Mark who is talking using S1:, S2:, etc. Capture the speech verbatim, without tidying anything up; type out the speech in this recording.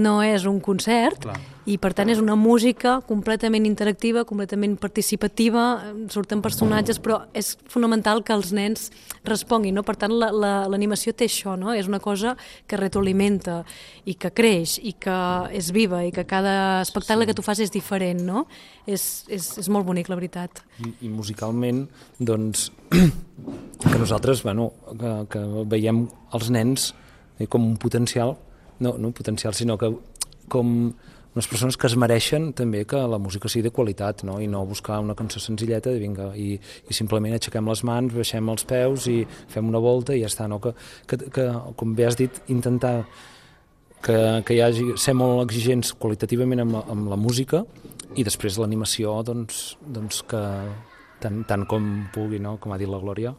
S1: No és un concert. Clar. I per tant és una música completament interactiva, completament participativa, surten personatges, però és fonamental que els nens responguin, no? Per tant l'animació té això, no? És una cosa que retroalimenta i que creix i que és viva i que cada espectacle que tu fas és diferent, no? És, és, és molt bonic, la veritat.
S2: I, i musicalment, doncs, que nosaltres, bueno, que, que veiem els nens com un potencial, no, no un potencial, sinó que com unes persones que es mereixen també que la música sigui de qualitat, no? I no buscar una cançó senzilleta de vinga, i, i simplement aixequem les mans, baixem els peus i fem una volta i ja està, no? Que, que, que com bé has dit, intentar que, que hi hagi, ser molt exigents qualitativament amb, amb la música i després l'animació, doncs, doncs que tant, tant com pugui, no? Com ha dit la Glòria.